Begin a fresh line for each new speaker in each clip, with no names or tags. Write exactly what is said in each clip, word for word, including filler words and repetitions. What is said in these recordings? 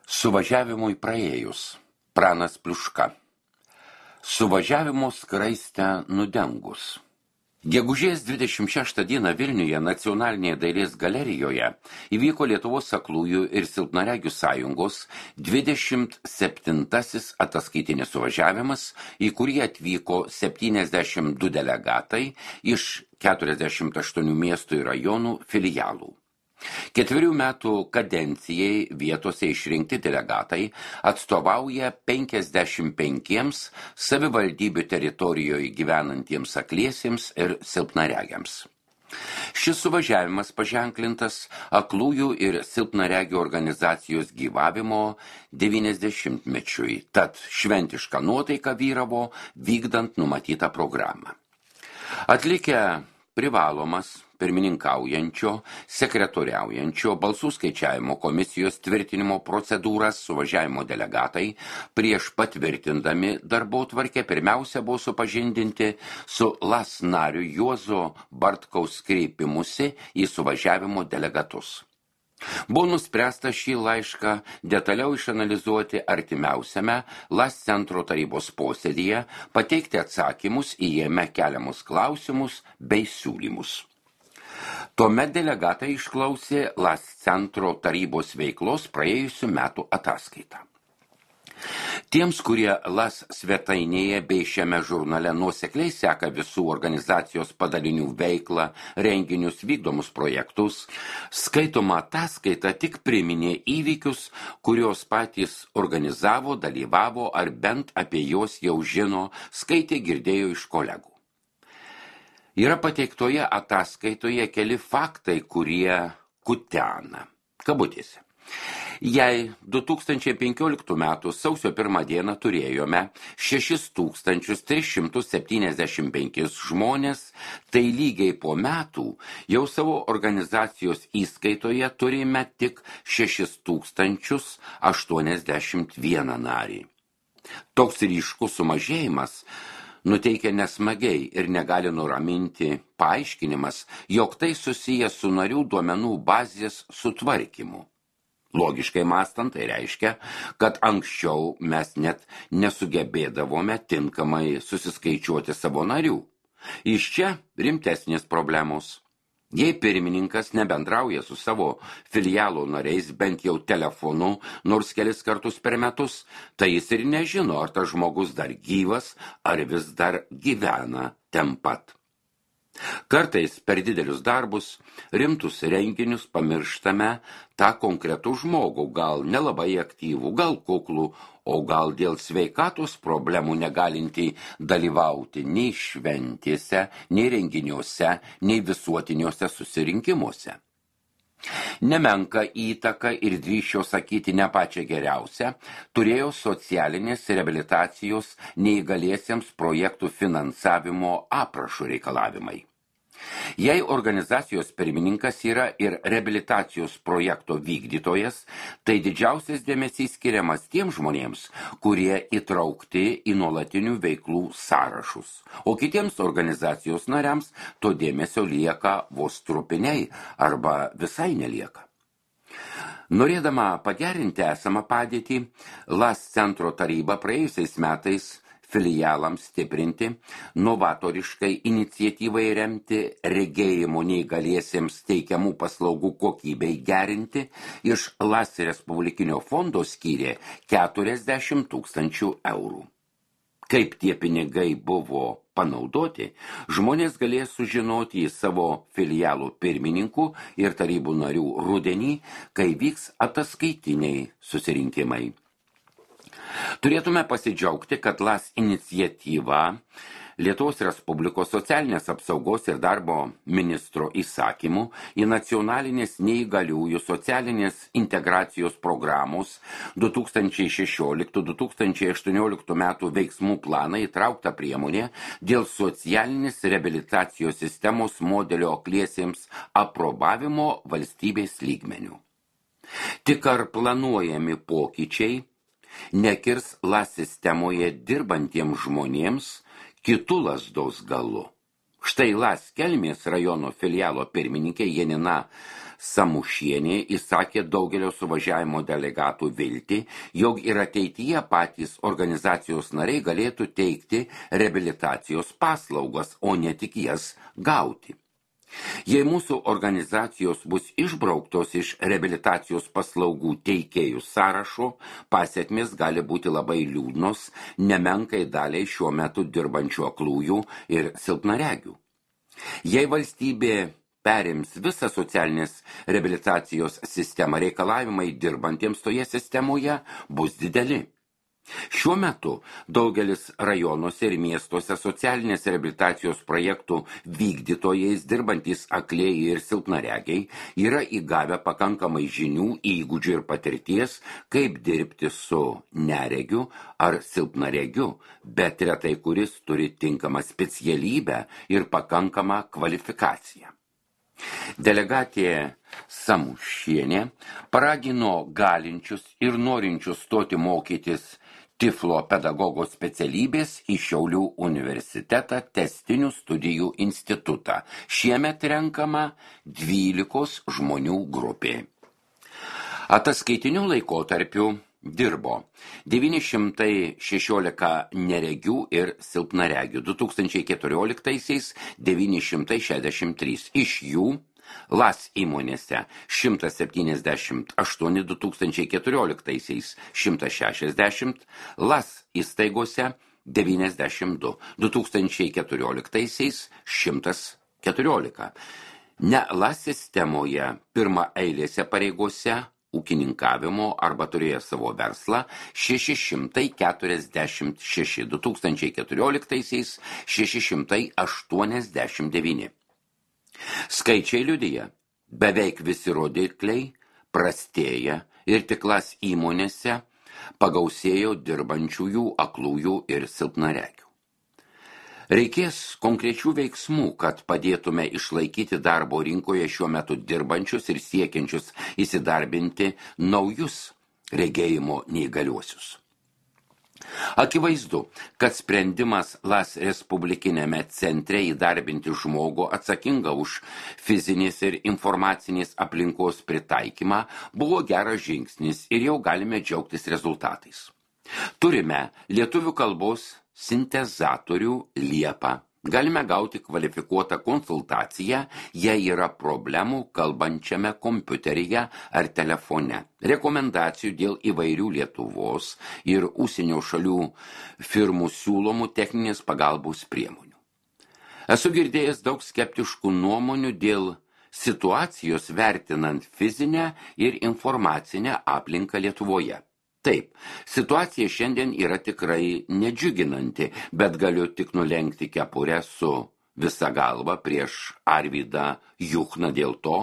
Suvažiavimui praėjus. Pranas Pliuška. Suvažiavimo skraistę nudengus. Gegužės dvidešimt šeštą dieną Vilniuje Nacionalinėje dailės galerijoje įvyko Lietuvos aklųjų ir silpnaregių sąjungos dvidešimt septintasis ataskaitinis suvažiavimas, į kurį atvyko septyniasdešimt du delegatai iš keturiasdešimt aštuonių miestų ir rajonų filialų. Ketverių metų kadencijai vietose išrinkti delegatai atstovauja penkiasdešimt penkiems savivaldybių teritorijoje gyvenantiems akliesiems ir silpnaregiams. Šis suvažiavimas paženklintas aklųjų ir silpnaregių organizacijos gyvavimo devyniasdešimtmečiui, tad šventiška nuotaika vyravo vykdant numatytą programą. Atlikę privalomas pirmininkaujančio, sekretoriaujančio, balsų skaičiavimo komisijos tvirtinimo procedūras suvažiavimo delegatai prieš patvirtindami darbotvarkę pirmiausia buvo supažindinti su L A S nariu Juozo Bartkaus kreipimusi į suvažiavimo delegatus. Buvo nuspręsta šį laišką detaliau išanalizuoti artimiausiame L A S centro tarybos posėdyje, pateikti atsakymus į jame keliamus klausimus bei siūlymus. Tuomet delegatai išklausė L A S centro tarybos veiklos praėjusių metų ataskaitą. Tiems, kurie L A S svetainėje bei šiame žurnale nuosekliai seka visų organizacijos padalinių veiklą, renginius, vykdomus projektus, skaitoma ataskaita tik priminė įvykius, kurios patys organizavo, dalyvavo ar bent apie juos jau žino, skaitė, girdėjo iš kolegų. Yra pateiktoje ataskaitoje keli faktai, kurie kutena. Kabutėse. Jei du tūkstančiai penkioliktų metų sausio pirmą dieną turėjome šešis tūkstančius tris šimtus septyniasdešimt penkis žmonės, tai lygiai po metų jau savo organizacijos įskaitoje turime tik šešis tūkstančius aštuoniasdešimt vieną narį. Toks ryškus sumažėjimas nuteikia nesmagiai ir negali nuraminti paaiškinimas, jog tai susijęs su narių duomenų bazės sutvarkymu. Logiškai mąstant, tai reiškia, kad anksčiau mes net nesugebėdavome tinkamai susiskaičiuoti savo narių. Iš čia rimtesnės problemos. Jei pirmininkas nebendrauja su savo filialo nariais bent jau telefonu, nors kelis kartus per metus, tai jis ir nežino, ar tas žmogus dar gyvas, ar vis dar gyvena ten pat. Kartais per didelius darbus, rimtus renginius pamirštame tą konkretų žmogų, gal nelabai aktyvų, gal kuklų, o gal dėl sveikatos problemų negalintį dalyvauti nei šventėse, nei renginiuose, nei visuotiniuose susirinkimuose. Nemenka įtaka ir drįsčiau sakyti ne pačią geriausią turėjo socialinės reabilitacijos neįgaliesiems projektų finansavimo aprašų reikalavimai. Jei organizacijos pirmininkas yra ir reabilitacijos projekto vykdytojas, tai didžiausias dėmesys skiriamas tiems žmonėms, kurie įtraukti į nuolatinių veiklų sąrašus, o kitiems organizacijos nariams to dėmesio lieka vos trupiniai arba visai nelieka. Norėdama pagerinti esamą padėtį, L A S centro taryba praėjusiais metais filialams stiprinti, novatoriškai iniciatyvai remti, regėjimo neįgaliesiems teikiamų paslaugų kokybei gerinti, iš L A S Respublikinio fondo skyrė keturiasdešimt tūkstančių eurų. Kaip tie pinigai buvo panaudoti, žmonės galės sužinoti į savo filialų pirmininkų ir tarybų narių rudenį, kai vyks ataskaitiniai susirinkimai. Turėtume pasidžiaugti, kad L A S iniciatyva Lietuvos Respublikos socialinės apsaugos ir darbo ministro įsakymų į nacionalinės neįgaliųjų socialinės integracijos programos du tūkstančiai šešioliktų - du tūkstančiai aštuonioliktų metų veiksmų planą įtraukta priemonė dėl socialinės reabilitacijos sistemos modelio akliesiems aprobavimo valstybės lygmenių. Tik ar planuojami pokyčiai nekirs L A S sistemoje dirbantiems žmonėms kitų lazdos galu. Štai L A S Kelmės rajono filialo pirmininkė Janina Samušienė įsakė daugelio suvažiavimo delegatų viltį, jog ir ateityje patys organizacijos nariai galėtų teikti reabilitacijos paslaugas, o ne tik jas gauti. Jei mūsų organizacijos bus išbrauktos iš reabilitacijos paslaugų teikėjų sąrašo, pasekmės gali būti labai liūdnos, nemenkai daliai šiuo metu dirbančių aklųjų ir silpnaregių. Jei valstybė perims visą socialinės reabilitacijos sistemą, reikalavimai dirbantiems toje sistemoje bus dideli. Šiuo metu daugelis rajonuose ir miestuose socialinės reabilitacijos projektų vykdytojais dirbantys aklieji ir silpnaregiai yra įgavę pakankamai žinių, įgūdžių ir patirties, kaip dirbti su neregiu ar silpnaregiu, bet retai kuris turi tinkamą specialybę ir pakankamą kvalifikaciją. Delegatė Samušienė paragino galinčius ir norinčius stoti mokytis Tiflo pedagogo specialybės į Šiaulių universitetą tęstinių studijų institutą. Šiemet renkama dvylikos žmonių grupė. Ataskaitiniu laikotarpiu dirbo devyni šimtai šešiolika neregių ir silpnaregių, du tūkstančiai keturioliktaisiais devyni šimtai šešiasdešimt trys. Iš jų L A S įmonėse šimtas septyniasdešimt aštuoni, du tūkstančiai keturioliktaisiais šimtas šešiasdešimt, L A S įstaigose devyniasdešimt du, du tūkstančiai keturioliktaisiais šimtas keturiolika. Ne L A S sistemoje pirma eilėse pareigose ūkininkavimo arba turėjo savo verslą šeši šimtai keturiasdešimt šeši, du tūkstančiai keturioliktaisiais šeši šimtai aštuoniasdešimt devyni. Skaičiai liudija, beveik visi rodikliai prastėja ir tik L A S įmonėse pagausėjo dirbančiųjų aklųjų ir silpnaregių. Reikės konkrečių veiksmų, kad padėtume išlaikyti darbo rinkoje šiuo metu dirbančius ir siekiančius įsidarbinti naujus regėjimo neįgaliuosius. Akivaizdu, kad sprendimas L A S Respublikinėme centre įdarbinti žmogų atsakingą už fizinės ir informacinės aplinkos pritaikymą buvo geras žingsnis ir jau galime džiaugtis rezultatais. Turime lietuvių kalbos sintezatorių Liepą. Galime gauti kvalifikuotą konsultaciją, jei yra problemų kalbančiame kompiuteryje ar telefone. Rekomendacijų dėl įvairių Lietuvos ir užsienio šalių firmų siūlomų techninės pagalbos priemonių. Esu girdėjęs daug skeptiškų nuomonių dėl situacijos vertinant fizinę ir informacinę aplinką Lietuvoje. Taip, situacija šiandien yra tikrai nedžiuginanti, bet galiu tik nulenkti kepurę su visa galva prieš Arvydą Juchną dėl to,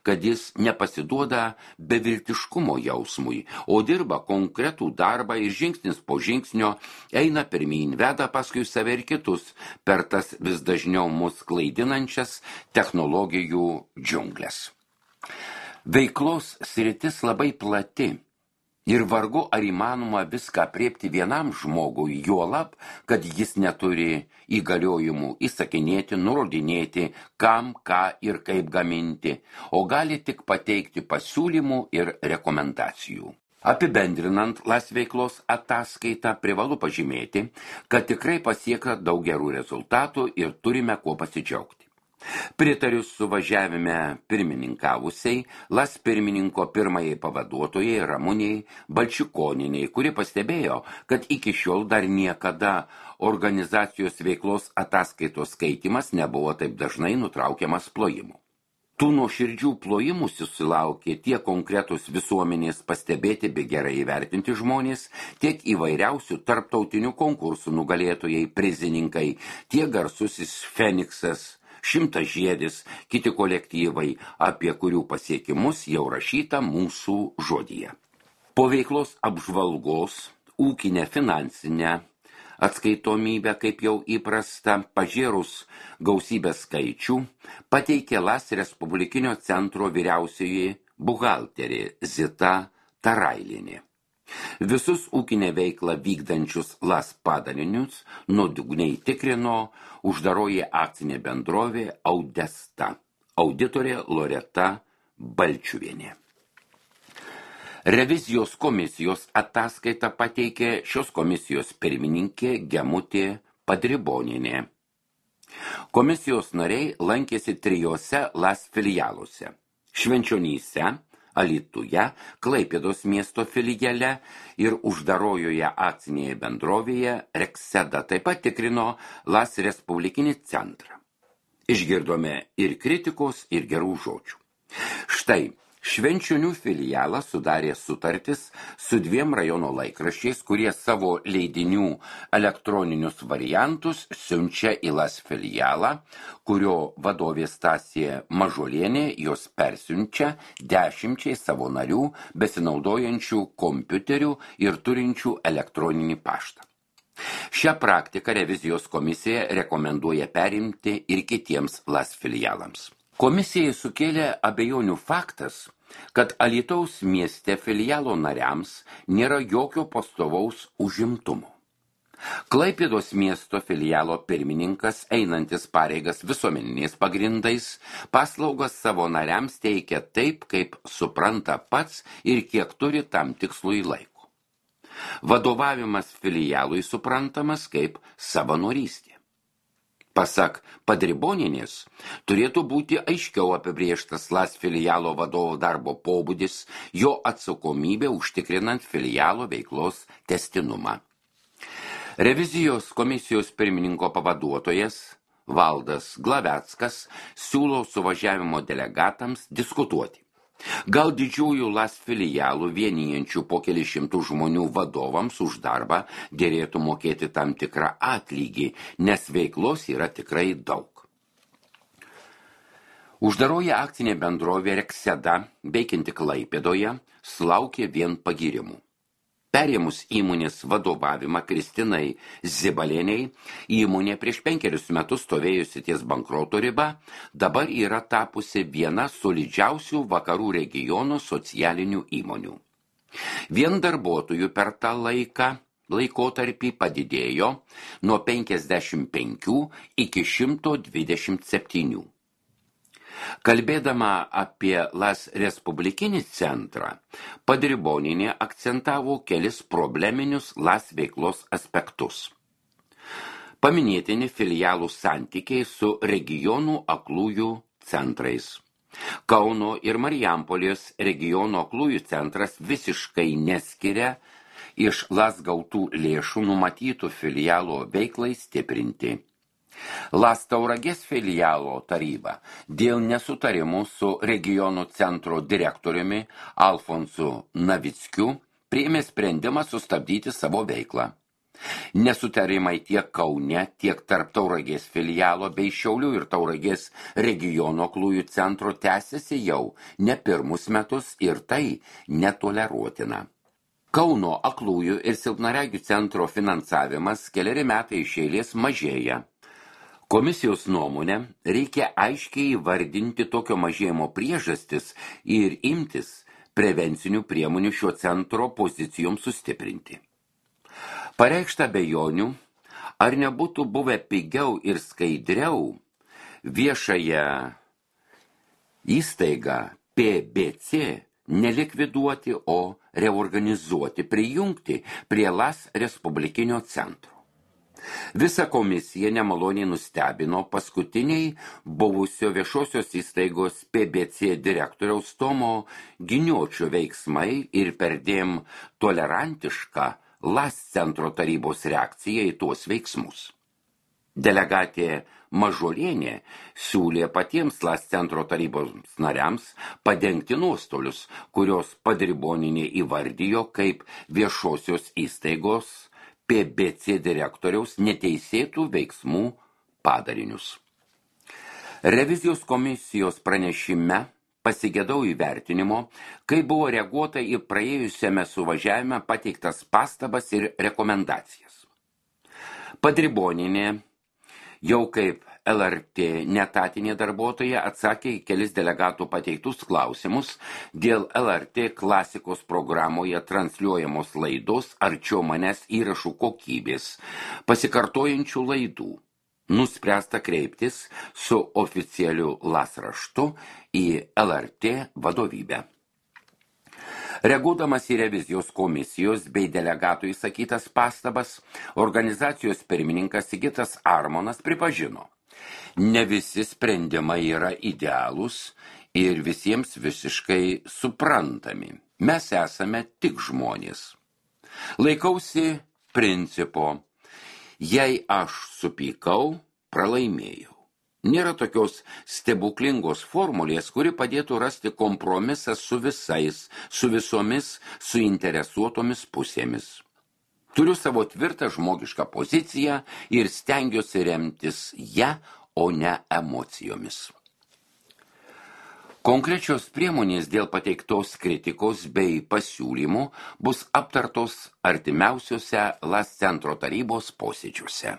kad jis nepasiduoda beviltiškumo jausmui, o dirba konkretų darbą ir žingsnis po žingsnio eina pirmyn, veda paskui save ir kitus per tas vis dažniau mus klaidinančias technologijų džiunglės. Veiklos sritis labai plati. Ir vargu ar įmanoma viską apriepti vienam žmogui, juolab, kad jis neturi įgaliojimų įsakinėti, nurodinėti, kam, ką ir kaip gaminti, o gali tik pateikti pasiūlymų ir rekomendacijų. Apibendrinant L A S veiklos ataskaitą, privalu pažymėti, kad tikrai pasiekta daug gerų rezultatų ir turime kuo pasidžiaugti. Pritariu suvažiavime pirmininkavusiai L A S pirmininko pirmajai pavaduotojai Ramūnei Balčikonienei, kuri pastebėjo, kad iki šiol dar niekada organizacijos veiklos ataskaitos skaitymas nebuvo taip dažnai nutraukiamas plojimu. Tų nuoširdžių plojimų susilaukė tiek konkretus visuomenės pastebėti bei gerai įvertinti žmonės, tiek įvairiausių tarptautinių konkursų nugalėtojai, prizininkai, tiek garsusis Feniksas, Šimtažiedis, kiti kolektyvai, apie kurių pasiekimus jau rašyta mūsų žodyje. Po veiklos apžvalgos, ūkinę finansinę atskaitomybę, kaip jau įprasta, pažėrus gausybę skaičių, pateikė L A S Respublikinio centro vyriausioji buhalterė Zita Tarailienė. Visus ūkinę veiklą vykdančius L A S padalinius nuodugniai tikrino uždaroji akcinė bendrovė Audesta, auditorė Loreta Balčiuvienė. Revizijos komisijos ataskaitą pateikė šios komisijos pirmininkė Gemutė Padribonienė. Komisijos nariai lankėsi trijose LAS filialuose – Švenčionyse, Alytuje, Klaipėdos miesto filiale ir uždarojoje akcinėje bendrovėje Rekseda. Taip pat tikrino LAS Respublikinį centrą. Išgirdome ir kritikos, ir gerų žodžių. Štai, Švenčionių filialą sudarė sutartis su dviem rajono laikraščiais, kurie savo leidinių elektroninius variantus siunčia į LAS filialą, kurio vadovė Stasė Mažulienė jos persiunčia dešimčiai savo narių besinaudojančių kompiuterių ir turinčių elektroninį paštą. Šią praktiką revizijos komisija rekomenduoja perimti ir kitiems LAS filialams. Komisijai sukėlė abejonių faktas, kad Alytaus mieste filialo nariams nėra jokio pastovaus užimtumo. Klaipėdos miesto filialo pirmininkas, einantis pareigas visuomeniniais pagrindais, paslaugas savo nariams teikia taip, kaip supranta pats ir kiek turi tam tikslui laiko. Vadovavimas filialui suprantamas kaip savanorystė. Pasak Padribonienės, turėtų būti aiškiau apibrėžtas LAS filialo vadovo darbo pobūdis, jo atsakomybė užtikrinant filialo veiklos testinumą. Revizijos komisijos pirmininko pavaduotojas Valdas Glaveckas siūlo suvažiavimo delegatams diskutuoti. Gal didžiųjų LAS filialų vienijančių po keli šimtų žmonių vadovams už darbą dėrėtų mokėti tam tikrą atlygį, nes veiklos yra tikrai daug. Uždaroji akcinė bendrovė Rekseda, veikianti Klaipėdoje, sulaukė vien pagyrimų. Perėmus įmonės vadovavimą Kristinai Zibalieniai, įmonė prieš penkerius metus stovėjusi ties bankroto riba, dabar yra tapusi viena solidžiausių vakarų regiono socialinių įmonių. Vien darbuotojų per tą laiką laikotarpį padidėjo nuo penkiasdešimt penkių iki šimto dvidešimt septynių. Kalbėdama apie LAS Respublikinį centrą, Padribonienė akcentavo kelis probleminius LAS veiklos aspektus. Paminėtini filialų santykiai su regionų aklųjų centrais. Kauno ir Marijampolės regiono aklųjų centras visiškai neskiria iš LAS gautų lėšų numatytų filialo veiklai stiprinti. LAS Tauragės filialo taryba dėl nesutarimų su regionų centro direktoriumi Alfonsu Navickiu priėmė sprendimą sustabdyti savo veiklą. Nesutarimai tiek Kaune, tiek tarp Tauragės filialo bei Šiaulių ir Tauragės regiono aklųjų centro tęsiasi jau ne pirmus metus ir tai netoleruotina. Kauno aklųjų ir silpnaregių centro finansavimas keleri metai iš eilės mažėja. Komisijos nuomonė, reikia aiškiai įvardinti tokio mažėjimo priežastis ir imtis prevencinių priemonių šio centro pozicijoms sustiprinti. Pareikšta abejonių, ar nebūtų buvę pigiau ir skaidriau viešąją įstaigą P B C nelikviduoti, o reorganizuoti, prijungti prie LAS Respublikinio centro. Visa komisija nemaloniai nustebino paskutiniai buvusio viešosios įstaigos P B C direktoriaus Tomo Giniočio veiksmai ir perdėm tolerantiška LAS centro tarybos reakcija į tuos veiksmus. Delegatė Mažulienė siūlė patiems LAS centro tarybos nariams padengti nuostolius, kurios Padribonienė įvardijo kaip viešosios įstaigos P B C direktoriaus neteisėtų veiksmų padarinius. Revizijos komisijos pranešime pasigedau įvertinimo, kai buvo reaguota į praėjusiame suvažiavime pateiktas pastabas ir rekomendacijas. Padribonienė jau kaip L R T netatinė darbuotoja atsakė į kelis delegatų pateiktus klausimus dėl L R T klasikos programoje transliuojamos laidos Arčiau manęs įrašų kokybės, pasikartojančių laidų. nuspręsta kreiptis su oficialiu LAS raštu į L R T vadovybę. Reaguodamas į revizijos komisijos bei delegatų įsakytas pastabas, organizacijos pirmininkas Sigitas Armonas pripažino, ne visi sprendimai yra idealūs ir visiems visiškai suprantami. Mes esame tik žmonės. Laikausi principo, jei aš supykau, pralaimėjau. Nėra tokios stebuklingos formulės, kuri padėtų rasti kompromisą su visais, su visomis suinteresuotomis pusėmis. Turiu savo tvirtą žmogišką poziciją ir stengiuosi remtis ją, o ne emocijomis. Konkrečios priemonės dėl pateiktos kritikos bei pasiūlymų bus aptartos artimiausiuose LAS centro tarybos posėdžiuose.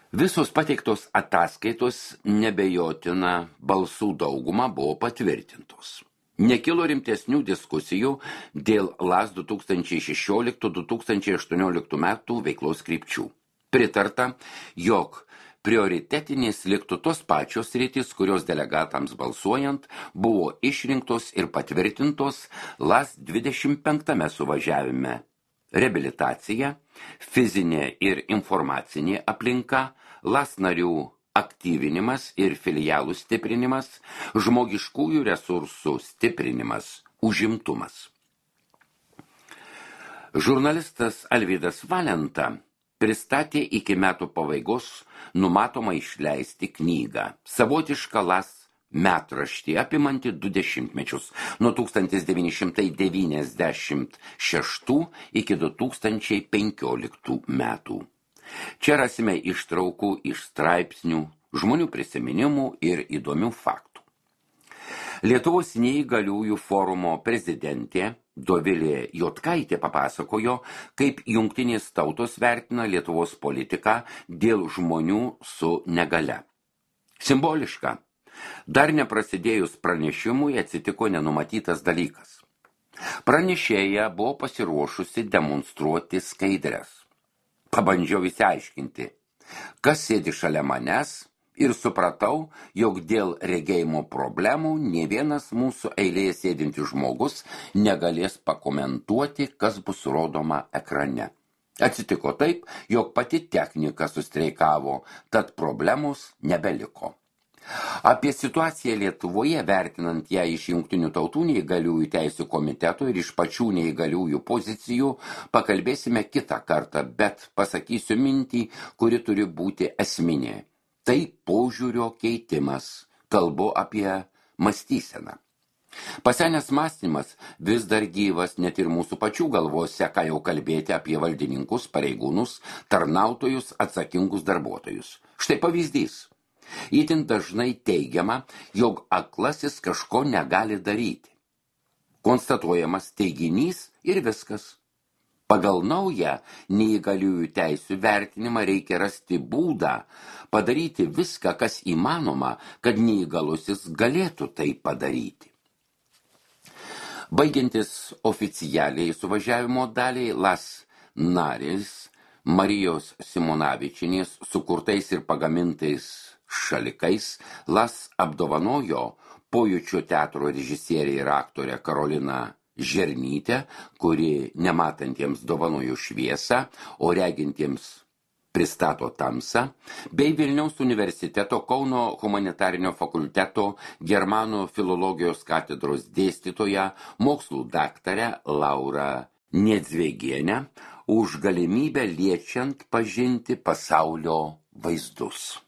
Visos pateiktos ataskaitos nebejotina balsų dauguma buvo patvirtintos. Nekilo rimtesnių diskusijų dėl LAS du tūkstančiai šešioliktų - du tūkstančiai aštuonioliktų metų veiklos krypčių. Pritarta, jog prioritetinės liktų tos pačios sritys, kurios delegatams balsuojant buvo išrinktos ir patvirtintos LAS dvidešimt penktame suvažiavime. Reabilitacija, fizinė ir informacinė aplinka, LAS narių aktyvinimas ir filialų stiprinimas, žmogiškųjų resursų stiprinimas, užimtumas. Žurnalistas Alvydas Valenta pristatė iki metų pabaigos numatomą išleisti knygą, savotišką LAS metraštį apimanti du dešimtmečius nuo tūkstantis devyni šimtai devyniasdešimt šeštų iki du tūkstančiai penkioliktų metų. Čia rasime ištraukų iš straipsnių, žmonių prisiminimų ir įdomių faktų. Lietuvos neįgaliųjų forumo prezidentė Dovilė Jotkaitė papasakojo, kaip jungtinės tautos vertina Lietuvos politiką dėl žmonių su negalia. Simboliška. Dar neprasidėjus pranešimui atsitiko nenumatytas dalykas. Pranešėja buvo pasiruošusi demonstruoti skaidres. Pabandžiau įsiaiškinti, kas sėdi šalia manęs ir supratau, jog dėl regėjimo problemų nė vienas mūsų eilėje sėdintis žmogus negalės pakomentuoti, kas bus rodoma ekrane. Atsitiko taip, jog pati technika sustreikavo, tad problemos nebeliko. Apie situaciją Lietuvoje, vertinant ją iš Jungtinių tautų neįgaliųjų teisių komiteto ir iš pačių neįgaliųjų pozicijų, pakalbėsime kitą kartą, bet pasakysiu mintį, kuri turi būti esminė. Tai požiūrio keitimas, kalbu apie mąstyseną. Pasenęs mąstymas vis dar gyvas net ir mūsų pačių galvose, ką jau kalbėti apie valdininkus, pareigūnus, tarnautojus, atsakingus darbuotojus. Štai pavyzdys. Itin dažnai teigiama, jog aklasis kažko negali daryti. Konstatuojamas teiginys ir viskas. Pagal naują neįgaliųjų teisių vertinimą reikia rasti būdą padaryti viską, kas įmanoma, kad neįgalusis galėtų tai padaryti. Baigiantis oficialiai suvažiavimo daliai, LAS narės Marijos Simonavičienės sukurtais ir pagamintais šalikais LAS apdovanojo Pojūčio teatro režisierė ir aktorė Karolina Žernytė, kuri nematantiems dovanojo šviesą, o regintiems pristato tamsą, bei Vilniaus universiteto Kauno humanitarinio fakulteto germanų filologijos katedros dėstytoja, mokslų daktarę Laurą Niedzvėgienę už galimybę liečiant pažinti pasaulio vaizdus.